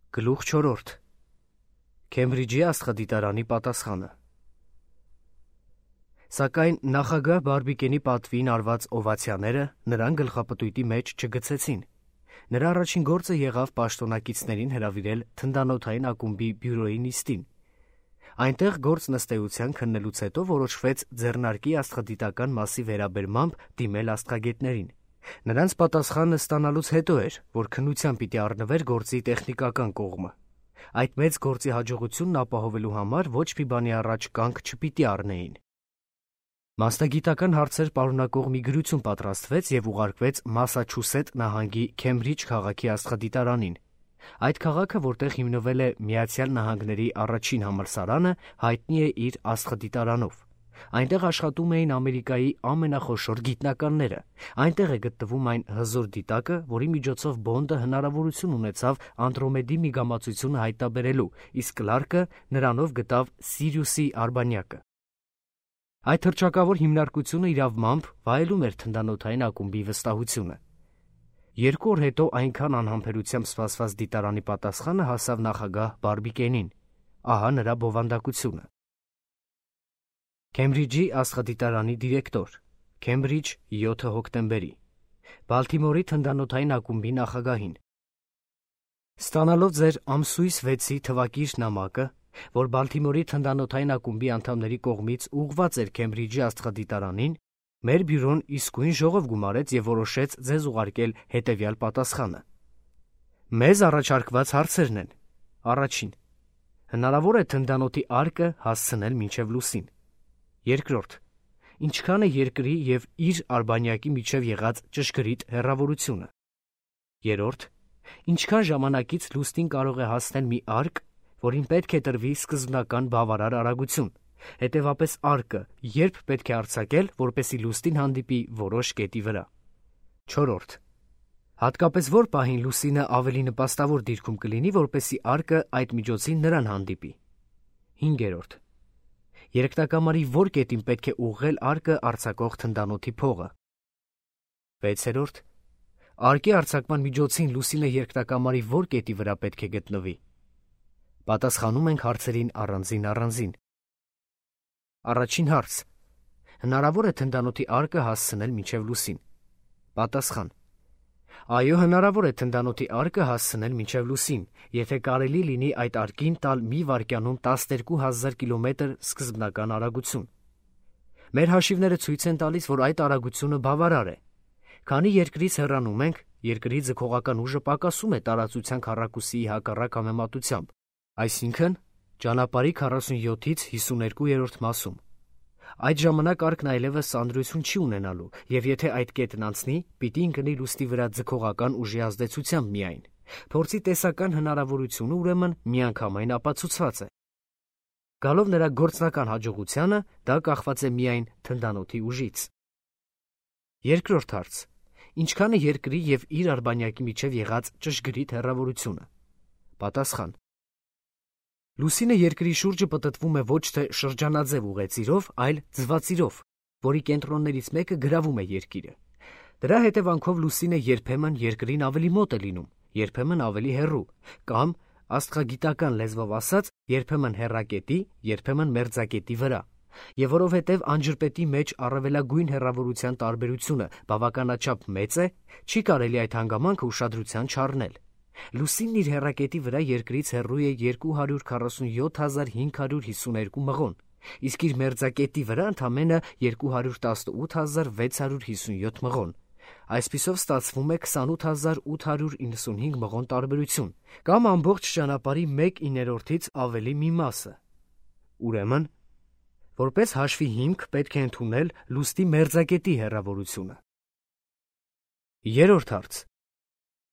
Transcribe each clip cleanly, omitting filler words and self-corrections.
Գլուխ 4. Քեմբրիջի աստղադիտարանի պատասխանը։ Սակայն նախագահ Բարբիկենի պատվին արված օվացիաները նրան գլխապտույտի մեջ չգցեցին։ Նրա առաջին գործը եղավ պաշտոնակիցներին հրավիրել թնդանոթային ակումբի բյուրոյի նիստին։ Այնտեղ գործ նստեյության քննելուց հետո որոշվեց ձեռնարկի աստղադիտական մասի վերաբերմամբ դիմել աստղագետներին։ Նրանց պատասխանը ստանալուց հետո էր, որ քննությամբ պիտի առնվեր գործի տեխնիկական կողմը։ Այդ մեծ գործի հաջողությունն ապահովելու համար ոչ մի բանի առաջ կանգ չպիտի առնեին։ Մասնագիտական հարցեր պարունակող մի գրություն պատրաստվեց և ուղարկվեց Մասաչուսետ նահանգի Քեմբրիջ քաղաքի աստղադիտարանին։ Այդ քաղաքը, որտեղ հիմնվել է Միացյալ Նահանգների առաջին համալսարանը, հայտնի է իր աստղադիտարանով։ Այնտեղ աշխատում էին Ամերիկայի ամենախոշոր գիտնականները։ Այնտեղ է գտնվում այն հզոր դիտակը, որի միջոցով Բոնդը հնարավորություն ունեցավ Անդրոմեդի միգամածությունը հայտնաբերելու, իսկ Կլարկը նրանով գտավ Սիրիուսի արբանյակը։ Այդ հռչակավոր հիմնարկությունը իրավամբ վայելում էր թնդանոթային ակումբի վստահությունը։ 2 օր հետո այնքան անհամբերությամբ սպասված դիտարանի պատասխանը հասավ նախագահ Բարբիկենին։ Ահա նրա բովանդակությունը։ Քեմբրիջի աստղադիտարանի դիրեկտոր, Քեմբրիջ 7 հոկտեմբերի, Բալթիմորի թնդանոթային ակումբի նախագահին։ Ստանալով ձեր ամսույս 6-ի թվակիր նամակը, որ Բալթիմորի թնդանոթային ակումբի անդամների կողմից ուղղված էր Քեմբրիջի աստղադիտարանին, մեր բյուրոն իսկույն ժողով գումարեց և որոշեց ձեզ ուղարկել հետևյալ պատասխանը։ Մեզ առաջարկված հարցերն են. Առաջին. հնարավոր է թնդանոթի արկը հասցնել մինչև լուսին։ Երկրորդ. ինչքան է երկրի և իր արբանյակի միջև եղած ճշգրիտ հեռավորությունը։ Երրորդ. ինչքան ժամանակից լուսնին կարող է հասնել մի արկ, որին պետք է տրվի սկզբնական բավարար արագություն, հետևապես արկը երբ պետք է արձակել, որպեսզի լուսնին հանդիպի որոշ կետի վրա։ Չորրորդ. հատկապես որ պահին լուսինը ավելի նպաստավոր դիրքում կլինի, որպեսզի արկը այդ միջոցին նրան հանդիպի։ Հինգերորդ. երկնակամարի որ կետին պետք է ուղղել արկը արձակող թնդանոթի փողը։ 6. Արկի արձակման միջոցին լուսինը երկնակամարի որ կետի վրա պետք է գտնվի։ Պատասխանում ենք հարցերին առանձին։ Առաջին հարց. հնարավոր է թնդանոթի արկը հասցնել մինչև լուսին։ Պատասխան. այո, հնարավոր է թնդանոթի արկը հասցնել մինչև լուսին, եթե կարելի լինի այդ արկին տալ մի վայրկյանում 12,000 կիլոմետր սկզբնական արագություն։ Մեր հաշիվները ցույց են տալիս, որ այդ արագությունը բավարար է։ Քանի երկրից հեռանում ենք, երկրի ձգողական ուժը պակասում է տարածության քառակուսիի հակառակ համեմատությամբ, այսինքն ճանապարհի 47-ից 52-րդ մասում։ Այդ ժամանակ արկն այլևս սանրություն չի ունենալու, և եթե այդ կետն անցնի, պիտի ընկնի լուսնի վրա ձգողական ուժի ազդեցությամբ միայն։ Փորձի տեսական հնարավորությունը ուրեմն միանգամայն ապացուցված է։ Գալով նրա գործնական հաջողությանը, դա կախված է միայն թնդանոթի ուժից։ Երկրորդ հարց. ինչքան է երկրի և իր արբանյակի միջև եղած ճշգրիտ հեռավորությունը։ Պատասխան. լուսինը երկրի շուրջը պտտվում է ոչ թե շրջանաձև ուղեծիրով, այլ ձվածիրով, որի կենտրոններից մեկը գրավում է երկիրը։ Դրա հետևանքով լուսինը երբեմն երկրին ավելի մոտ է լինում, երբեմն ավելի հեռու, կամ, աստղագիտական լեզվով ասած, երբեմն հեռակետի, երբեմն մերձակետի վրա։ Եվ որովհետև անջրպետի մեջ առավելագույն հեռավորության տարբերությունը բավականաչափ մեծ է, չի կարելի այդ հանգամանքը ուշադրության չառնել։ Լուսինն իր հեռակետի վրա երկրից հեռու է 247,552 մղոն, իսկ իր մերձակետի վրա ընդամենը 218,657 մղոն։ Այսպիսով ստացվում է 28,895 մղոն տարբերություն, կամ ամբողջ ճանապարհի 1/9-ից ավելի մի մասը։ Ուրեմն, որպես հաշվի հիմք պետք է ընդունել լուսնի մերձակետի հեռավորությունը։ Երրորդ հարց.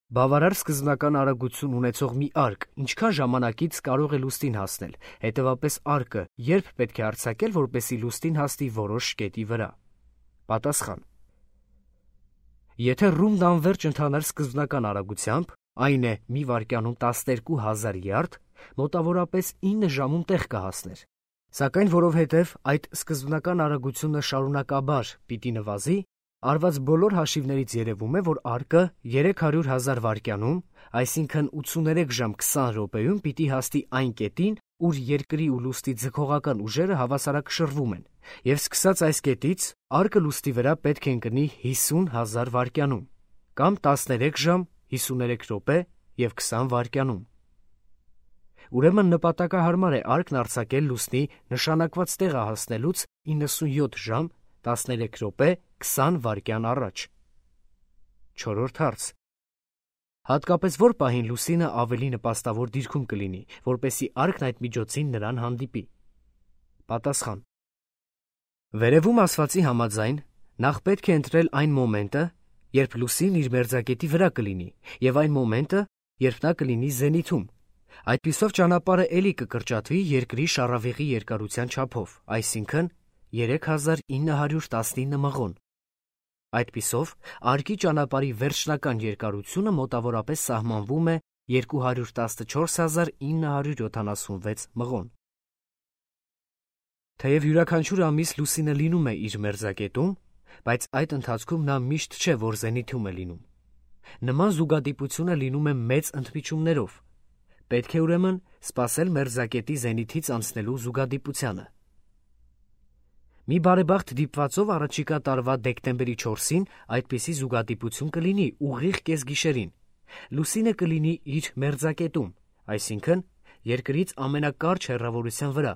բավարար սկզբնական արագություն ունեցող մի արկ ինչքան ժամանակից կարող է լուսնին հասնել, հետևապես արկը երբ պետք է արձակել, որպեսզի լուսնին հասնի որոշ կետի վրա։ Պատասխան. եթե ռումբն անվերջ ընթանար սկզբնական արագությամբ, այն է մի վայրկյանում 12,000 յարդ, մոտավորապես 9 ժամում տեղ կհասներ։ Սակայն որովհետև այդ սկզբնական արագությունը շարունակաբար պիտի նվազի, Արված բոլոր հաշիվներից երևում է, որ արկը 300,000 վայրկյանում, այսինքն 83 ժամ 20 րոպեում պիտի հասնի այն կետին, ուր երկրի ու լուսնի ձգողական ուժերը հավասարակշռվում են, եւ սկսած այս կետից արկը լուսնի վրա պետք է ընկնի 50,000 վայրկյանում, կամ 13 ժամ 53 րոպե եւ 20 վայրկյանում։ Ուրեմն նպատակահարմար է արկն արձակել լուսնի նշանակված տեղը հասնելուց 97 ժամ 13 րոպե 20 վայրկյան առաջ։ 4-րդ հարց. հատկապես որ պահին լուսինը ավելի նպաստավոր դիրքում կլինի, որպեսզի արկն այդ միջոցին նրան հանդիպի։ Պատասխան. Վերևում ասվածի համաձայն նախ պետք է ընտրել այն մոմենտը, երբ լուսինն իր մերձակետի վրա կլինի, եւ այն մոմենտը, երբ նա կլինի զենիթում։ Այդպիսով ճանապարհը էլի կկրճատվի երկրի շառավիղի երկարության չափով, այսինքն 3919 մղոն։ Այդպիսով արկի ճանապարհի վերջնական երկարությունը մոտավորապես սահմանվում է 214976 մղոն։ Թեև յուրաքանչյուր ամիս լուսինը լինում է իր մերձակետում, բայց այդ ընթացքում նա միշտ չէ, որ զենիթում է լինում։ Նման զուգադիպությունը լինում է մեծ ընդմիջումներով։ Պետք է ուրեմն սպասել մերձակետի զենիթից անցնելու զուգադիպությանը։ Մի բարեբախտ դիպվածով առաջիկա տարվա դեկտեմբերի 4-ին այդպիսի զուգադիպություն կլինի ուղիղ կեսգիշերին։ Լուսինը կլինի իր մերձակետում, այսինքն երկրից ամենակարճ հեռավորության վրա,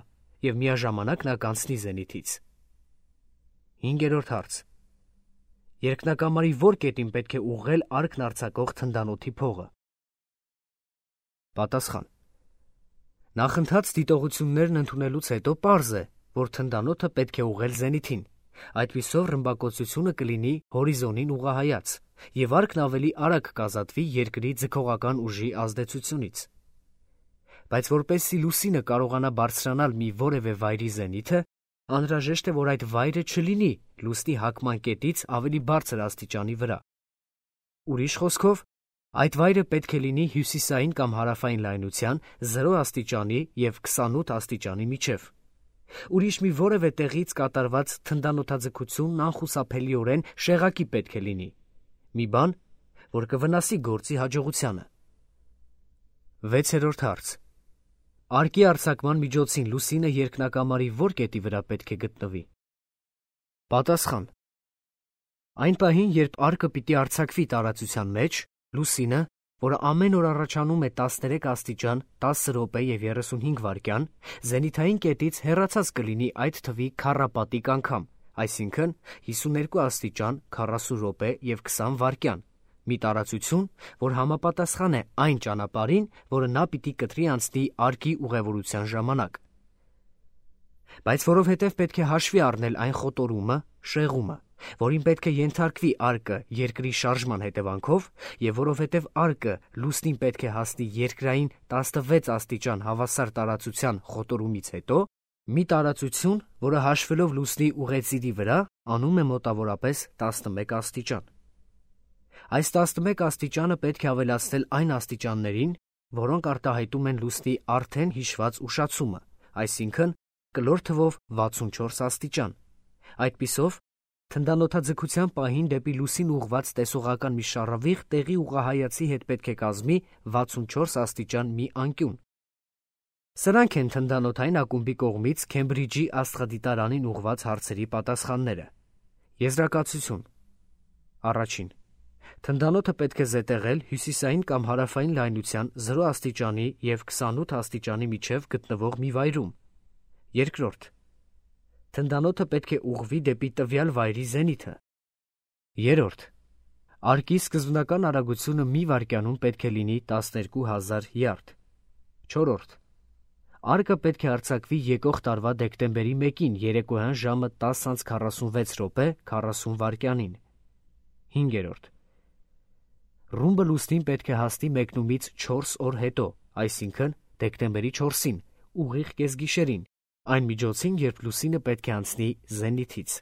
եւ միաժամանակ նա կանցնի զենիթից։ 5-րդ հարց. երկնակամարի որ կետին պետք է ուղղել արկն արձակող թնդանոթի փողը։ Պատասխան. նախընթաց դիտողություններն ընդունելուց հետո պարզ է, որ թնդանոթը պետք է ուղղել զենիթին, այդպիսով ռմբակոծությունը կլինի հորիզոնին ուղղահայաց, եւ արկն ավելի արագ կազատվի երկրի ձգողական ուժի ազդեցությունից։ Բայց որպեսզի լուսինը կարողանա բարձրանալ մի որևէ վայրի զենիթը, անհրաժեշտ է, որ այդ վայրը չլինի լուսնի հակման կետից ավելի բարձր աստիճանի վրա։ Ուրիշ խոսքով, այդ վայրը պետք է լինի հյուսիսային կամ հարավային լայնության 0 աստիճանի եւ 28 աստիճանի միջև։ Ուրիշ մի որևէ տեղից կատարված թնդանոթաձգությունն անխուսափելիորեն շեղակի պետք է լինի։ Մի բան, որ կվնասի գործի հաջողությանը։ 6-րդ հարց. արկի արձակման միջոցին լուսինը երկնակամարի որ կետի վրա պետք է գտնվի։ Պատասխան. այն պահին, երբ արկը պիտի արձակվի տարածության մեջ, լուսինը, որը ամեն օր առաջանում է 13 աստիճան 10 րոպե եւ 35 վայրկյան, զենիթային կետից հեռացած կլինի այդ թվի քառապատիկ անգամ, այսինքն 52 աստիճան 40 րոպե եւ 20 վայրկյան, մի տարածություն, որ համապատասխան է այն ճանապարհին, որը նա պիտի կտրի անցնի արկի ուղևորության ժամանակ։ Բայց որովհետև պետք է հաշվի առնել այն խոտորումը, շեղումը, որին պետք է ենթարկվի արկը երկրի շարժման հետևանքով, եւ որովհետև արկը լուսնին պետք է հասնի երկրային 16 աստիճան հավասար տարածության խոտորումից հետո, մի տարածություն, որը հաշվելով լուսնի ուղեծիրի վրա, անում է մոտավորապես 11 աստիճան։ Այս 11 աստիճանը պետք է ավելացնել այն աստիճաններին, որոնք արտահայտում են լուսնի արդեն հիշված ուշացումը, այսինքն կլոր թվով 64 աստիճան։ Այդպիսով, թնդանոթաձգության պահին դեպի լուսին ուղղված տեսողական մի շառավիղ տեղի ուղղահայացի հետ պետք է կազմի 64 աստիճան մի անկյուն։ Սրանք են թնդանոթային ակումբի կողմից Քեմբրիջի աստղադիտարանին ուղղված հարցերի պատասխանները։ Եզրակացություն. Առաջին. թնդանոթը պետք է զետեղել հյուսիսային կամ հարավային լայնության 0 աստիճանի եւ 28 աստիճանի միջև գտնվող մի վայրում։ Երկրորդ. թնդանոթը պետք է ուղղվի դեպի տվյալ վայրի զենիթը։ Երրորդ. արկի սկզբնական արագությունը մի վայրկյանում պետք է լինի 12000 յարդ։ Չորրորդ. արկը պետք է արձակվի եկող տարվա դեկտեմբերի 1-ին երեկոյան ժամը 10:46 րոպե 40 վայրկյանին։ 5-րդ. ռումբը լուսնին պետք է հասնի մեկնումից 4 օր հետո, այսինքն դեկտեմբերի 4-ին, ուղիղ կեսգիշերին, այն միջոցին, երբ լուսինը պետք է անցնի զենիթից։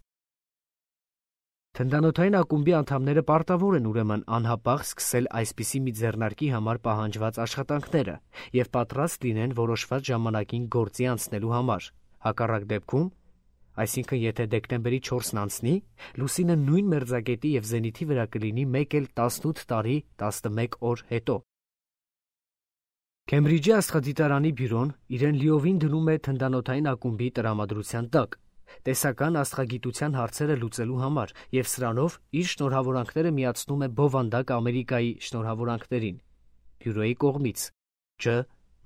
Թնդանոթային ակումբի անդամները պարտավոր են ուրեմն անհապաղ սկսել այսպիսի մի ձեռնարկի համար պահանջված աշխատանքները եւ պատրաստ լինեն որոշված ժամանակին գործի անցնելու համար։ Հակառակ դեպքում Այսինքն, եթե դեկտեմբերի 4-ն անցնի, լուսինը նույն մերձակետի և զենիթի վրա կլինի 1 էլ 18 տարի 11 օր հետո։ Քեմբրիջի աստղադիտարանի բյուրոն իրեն լիովին դնում է թնդանոթային ակումբի տրամադրության տակ, տեսական աստղագիտության հարցերը լուծելու համար և սրանով իր շնորհավորանքները միացնում է բովանդակ Ամերիկայի շնորհավորանքներին։ Բյուրոյի կողմից Ջ.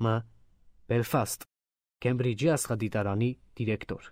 Մ. Բելֆաստ, Քեմբրիջի աստղադիտարանի դիրեկտոր։